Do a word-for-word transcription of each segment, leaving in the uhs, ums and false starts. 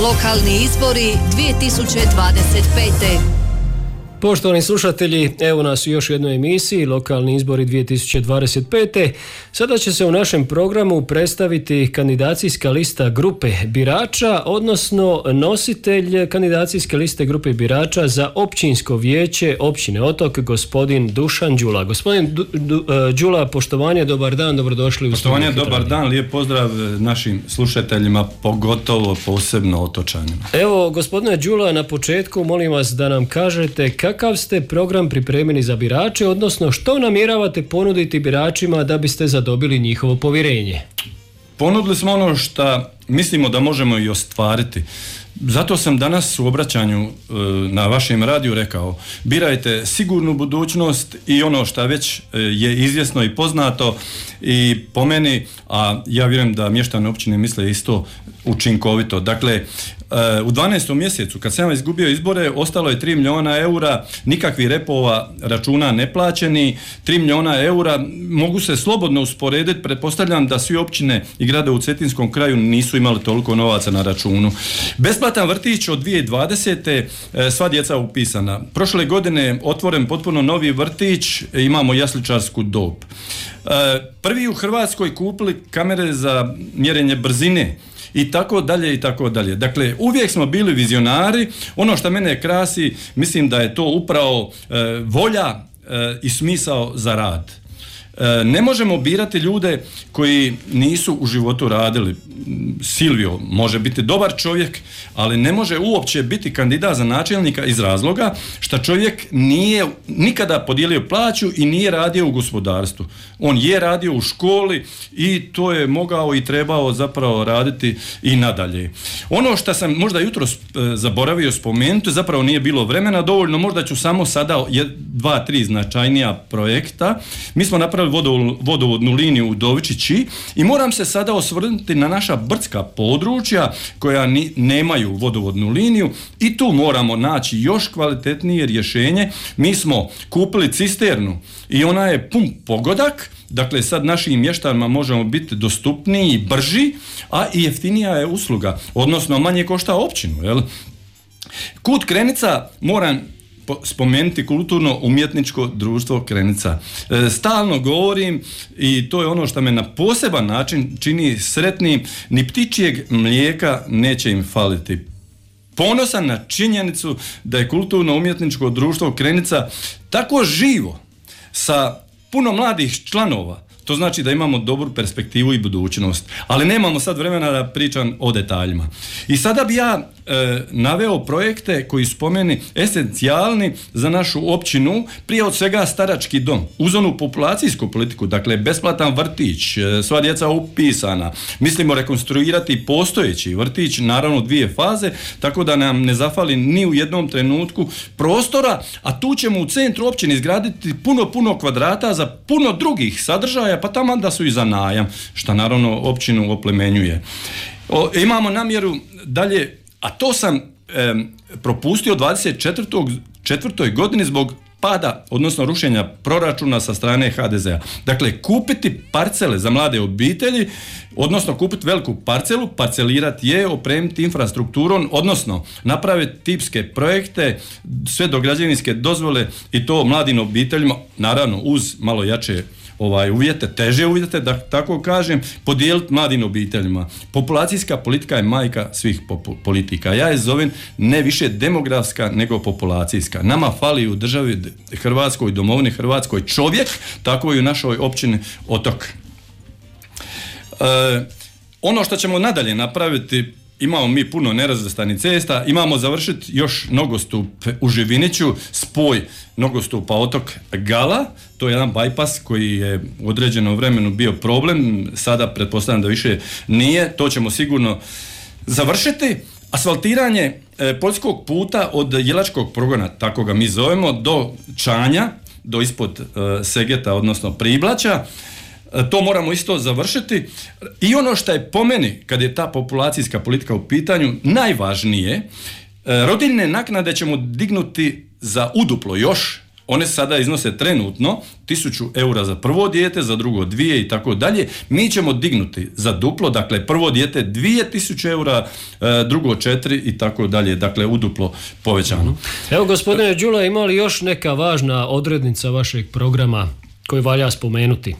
Lokalni izbori dvije tisuće dvadeset pete. Poštovani slušatelji, evo nas u još jednoj emisiji Lokalni izbori dvije tisuće dvadeset pete. Sada će se u našem programu predstaviti kandidacijska lista grupe birača, odnosno nositelj kandidacijske liste grupe birača za općinsko vijeće općine Otok, gospodin Dušan Đula. Gospodin Du, Du, Đula, poštovanje, dobar dan, dobrodošli u Poštovanje, dobar dan, lijep pozdrav našim slušateljima, pogotovo posebno otočanima. Evo, gospodine Đula, na početku molim vas da nam kažete kakav ste program pripremili za birače, odnosno što namjeravate ponuditi biračima da biste zadobili njihovo povjerenje? Ponudili smo ono što mislimo da možemo i ostvariti. Zato sam danas u obraćanju e, na vašem radiju rekao, birajte sigurnu budućnost i ono što već e, je izvjesno i poznato i po meni, a ja vjerujem da mještani općine misle isto, učinkovito. Dakle, e, u dvanaestom mjesecu kad sam izgubio izbore, ostalo je tri milijuna eura, nikakvih repova računa neplaćeni, tri milijuna eura, mogu se slobodno usporediti, pretpostavljam da svi općine i grade u Cetinskom kraju nisu imali toliko novaca na računu. Besplatan vrtić od dvije tisuće dvadesete. Sva djeca upisana. Prošle godine otvoren potpuno novi vrtić, imamo jasličarsku dob. Prvi u Hrvatskoj kupili kamere za mjerenje brzine i tako dalje i tako dalje. Dakle, uvijek smo bili vizionari. Ono što mene krasi, mislim da je to upravo e, volja e, i smisao za rad. E, ne možemo birati ljude koji nisu u životu radili. Silvio može biti dobar čovjek, ali ne može uopće biti kandidat za načelnika iz razloga što čovjek nije nikada podijelio plaću i nije radio u gospodarstvu. On je radio u školi i to je mogao i trebao zapravo raditi i nadalje. Ono što sam možda jutros zaboravio spomenuti, zapravo nije bilo vremena dovoljno, možda ću samo sada dva, tri značajnija projekta. Mi smo napravili vodovodnu liniju u Dovičići i moram se sada osvrnuti na naša brdska područja koja ni, nemaju vodovodnu liniju i tu moramo naći još kvalitetnije rješenje. Mi smo kupili cisternu i ona je pun pogodak, dakle sad našim mještanima možemo biti dostupniji i brži, a i jeftinija je usluga, odnosno manje košta općinu. Jel? Kut Krenica moram spomenuti kulturno-umjetničko društvo Krenica. E, stalno govorim i to je ono što me na poseban način čini sretnim, ni ptičijeg mlijeka neće im faliti. Ponosan na činjenicu da je kulturno-umjetničko društvo Krenica tako živo, sa puno mladih članova. To znači da imamo dobru perspektivu i budućnost. Ali nemamo sad vremena da pričam o detaljima. I sada bi ja e, naveo projekte koji su po meni esencijalni za našu općinu, prije od svega starački dom. Uz onu populacijsku politiku, dakle besplatan vrtić, e, sva djeca upisana. Mislimo rekonstruirati postojeći vrtić, naravno dvije faze, tako da nam ne zafali ni u jednom trenutku prostora, a tu ćemo u centru općine izgraditi puno, puno kvadrata za puno drugih sadržaja, pa tamo da su i za najam, što naravno općinu oplemenjuje. O, imamo namjeru dalje, a to sam e, propustio dvadeset četvrtoj godini zbog pada, odnosno rušenja proračuna sa strane ha de zea. Dakle, kupiti parcele za mlade obitelji, odnosno kupiti veliku parcelu, parcelirati je, opremiti infrastrukturom, odnosno napraviti tipske projekte, sve do građevinske dozvole i to mladim obiteljima, naravno uz malo jače ovaj uvjete, teže uvjete, da tako kažem, podijeliti mladim obiteljima. Populacijska politika je majka svih popu- politika. Ja je zovem ne više demografska nego populacijska. Nama fali u državi Hrvatskoj, domovini Hrvatskoj čovjek, tako i u našoj općini Otok. E, ono što ćemo nadalje napraviti, imamo mi puno nerazvrstanih cesta, imamo završiti još nogostup u Živiniću, spoj nogostupa Otok Gala, to je jedan bajpas koji je u određenom vremenu bio problem, sada pretpostavljam da više nije, to ćemo sigurno završiti. Asfaltiranje e, poljskog puta od Jelačkog progona, tako ga mi zovemo, do Čanja, do ispod e, Segeta, odnosno Priblaća. To moramo isto završiti. I ono što je po meni, kad je ta populacijska politika u pitanju, najvažnije, rodiljne naknade ćemo dignuti za uduplo još, one sada iznose trenutno tisuću eura za prvo dijete, za drugo dvije i tako dalje. Mi ćemo dignuti za duplo, dakle prvo dijete dvije tisuće eura, drugo četiri i tako dalje, dakle uduplo povećano. Evo gospodine Đula, ima li još neka važna odrednica vašeg programa koju valja spomenuti?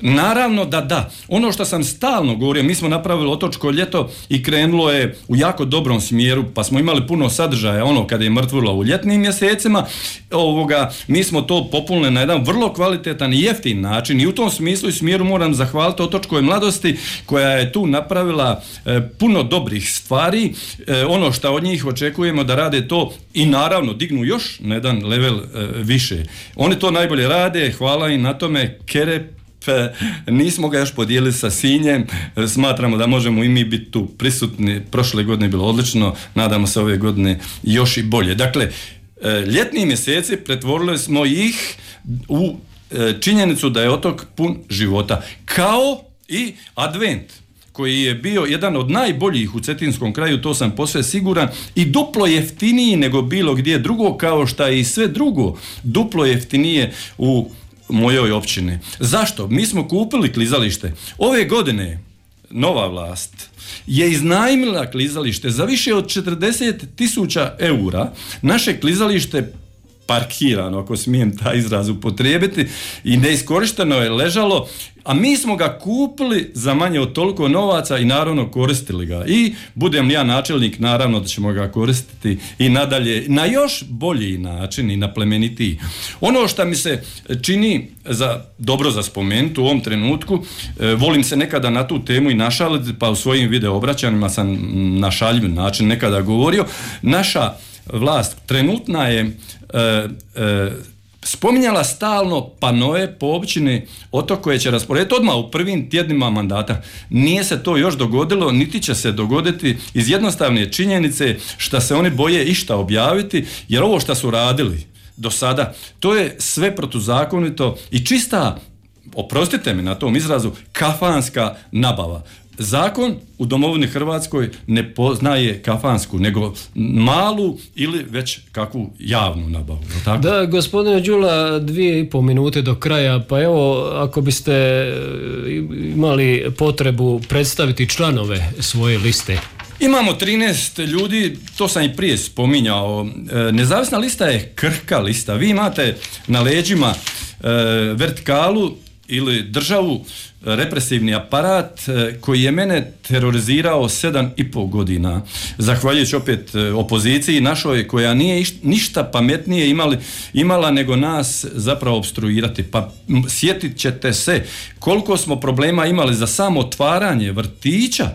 Naravno da da. Ono što sam stalno govorio, mi smo napravili Otočko ljeto i krenulo je u jako dobrom smjeru, pa smo imali puno sadržaja, ono kada je mrtvilo u ljetnim mjesecima, ovoga, mi smo to popunili na jedan vrlo kvalitetan i jeftin način i u tom smislu i smjeru moram zahvaliti Otočkoj mladosti koja je tu napravila e, puno dobrih stvari, e, ono što od njih očekujemo da rade to i naravno dignu još na jedan level e, više. Oni to najbolje rade, hvala im na tome, Kere. Nismo ga još podijelili sa Sinjem, smatramo da možemo i mi biti tu prisutni, prošle godine je bilo odlično, nadamo se ove godine još i bolje. Dakle, ljetni mjeseci pretvorili smo ih u činjenicu da je otok pun života, kao i Advent, koji je bio jedan od najboljih u Cetinskom kraju, to sam posve siguran, i duplo jeftiniji nego bilo gdje drugo, kao što je i sve drugo duplo jeftinije u mojoj općini. Zašto? Mi smo kupili klizalište. Ove godine nova vlast je iznajmila klizalište za više od četrdeset tisuća eura. Naše klizalište parkirano, ako smijem taj izraz upotrijebiti, i neiskorišteno je ležalo, a mi smo ga kupili za manje od toliko novaca i naravno koristili ga. I budem ja načelnik, naravno da ćemo ga koristiti i nadalje na još bolji način i na plemenitiji. Ono što mi se čini za, dobro za spomenuti u ovom trenutku, e, volim se nekada na tu temu i našaliti, pa u svojim video obraćanjima sam na šaljiv način nekada govorio. Naša vlast trenutna je e, e, spominjala stalno panoe po općini Otok koje će rasporediti odmah u prvim tjednima mandata. Nije se to još dogodilo, niti će se dogoditi iz jednostavne činjenice što se oni boje išta objaviti, jer ovo što su radili do sada, to je sve protuzakonito i čista, oprostite mi na tom izrazu, kafanska nabava. Zakon u domovini Hrvatskoj ne poznaje kafansku, nego malu ili već kakvu javnu nabavu. Tako? Da, gospodine Đula, dvije i pol minute do kraja, pa evo, ako biste imali potrebu predstaviti članove svoje liste. Imamo trinaest ljudi, to sam i prije spominjao. Nezavisna lista je krhka lista. Vi imate na leđima vertikalu ili državu, represivni aparat koji je mene terorizirao sedam i pol godina, zahvaljujući opet opoziciji našoj koja nije ništa pametnije imali, imala nego nas zapravo opstruirati. Pa sjetit ćete se koliko smo problema imali za samo otvaranje vrtića,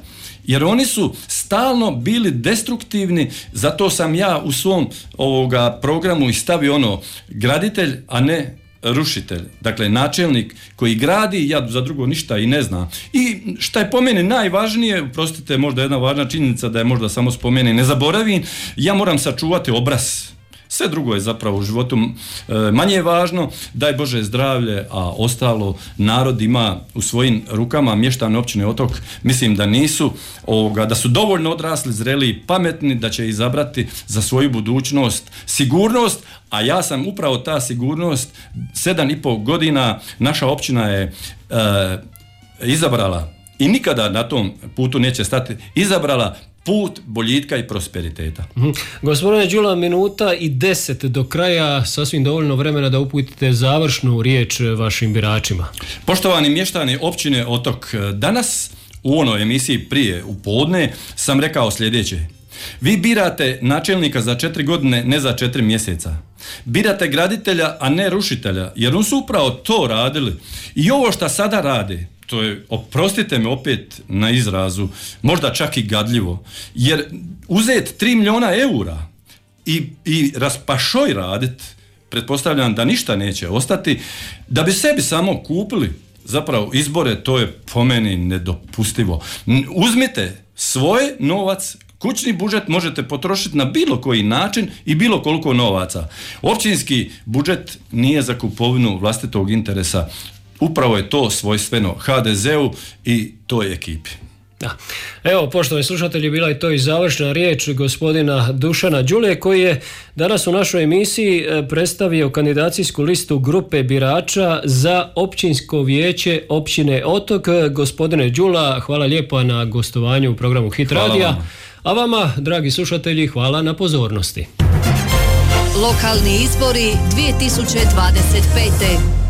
jer oni su stalno bili destruktivni, zato sam ja u svom ovoga programu i stavio ono graditelj, a ne rušitelj, dakle načelnik koji gradi, ja za drugo ništa i ne znam. I šta je po meni najvažnije, prostite, možda jedna važna činjenica da je možda samo spomeni, ne zaboravim, ja moram sačuvati obraz. Sve drugo je zapravo u životu e, manje važno, daj Bože zdravlje, a ostalo narod ima u svojim rukama. Mještani općine Otok mislim da nisu, ovoga, da su dovoljno odrasli, zreli i pametni, da će izabrati za svoju budućnost sigurnost, a ja sam upravo ta sigurnost. Sedam i pol godina naša općina je e, izabrala i nikada na tom putu neće stati, izabrala put boljitka i prosperiteta. Mm-hmm. Gospodine Đula, minuta i deset do kraja, sasvim dovoljno vremena da uputite završnu riječ vašim biračima. Poštovani mještani općine Otok, danas u onoj emisiji prije u podne sam rekao sljedeće. Vi birate načelnika za četiri godine, ne za četiri mjeseca. Birate graditelja, a ne rušitelja, jer oni su upravo to radili. I ovo što sada rade, to je, oprostite me opet na izrazu, možda čak i gadljivo, jer uzeti tri milijuna eura i, i raspašoj radit, pretpostavljam da ništa neće ostati, da bi sebi samo kupili zapravo izbore, to je po meni nedopustivo. Uzmite svoj novac, kućni budžet možete potrošiti na bilo koji način i bilo koliko novaca. Općinski budžet nije za kupovinu vlastitog interesa. Upravo je to svojstveno ha de zeu i toj ekipi. Da. Evo, poštovani slušatelji, bila je to i završna riječ gospodina Dušana Đulje, koji je danas u našoj emisiji predstavio kandidacijsku listu grupe birača za općinsko vijeće općine Otok. Gospodine Đula, hvala lijepo na gostovanju u programu Hit radija. A vama, dragi slušatelji, hvala na pozornosti. Lokalni izbori dvije tisuće dvadeset pete.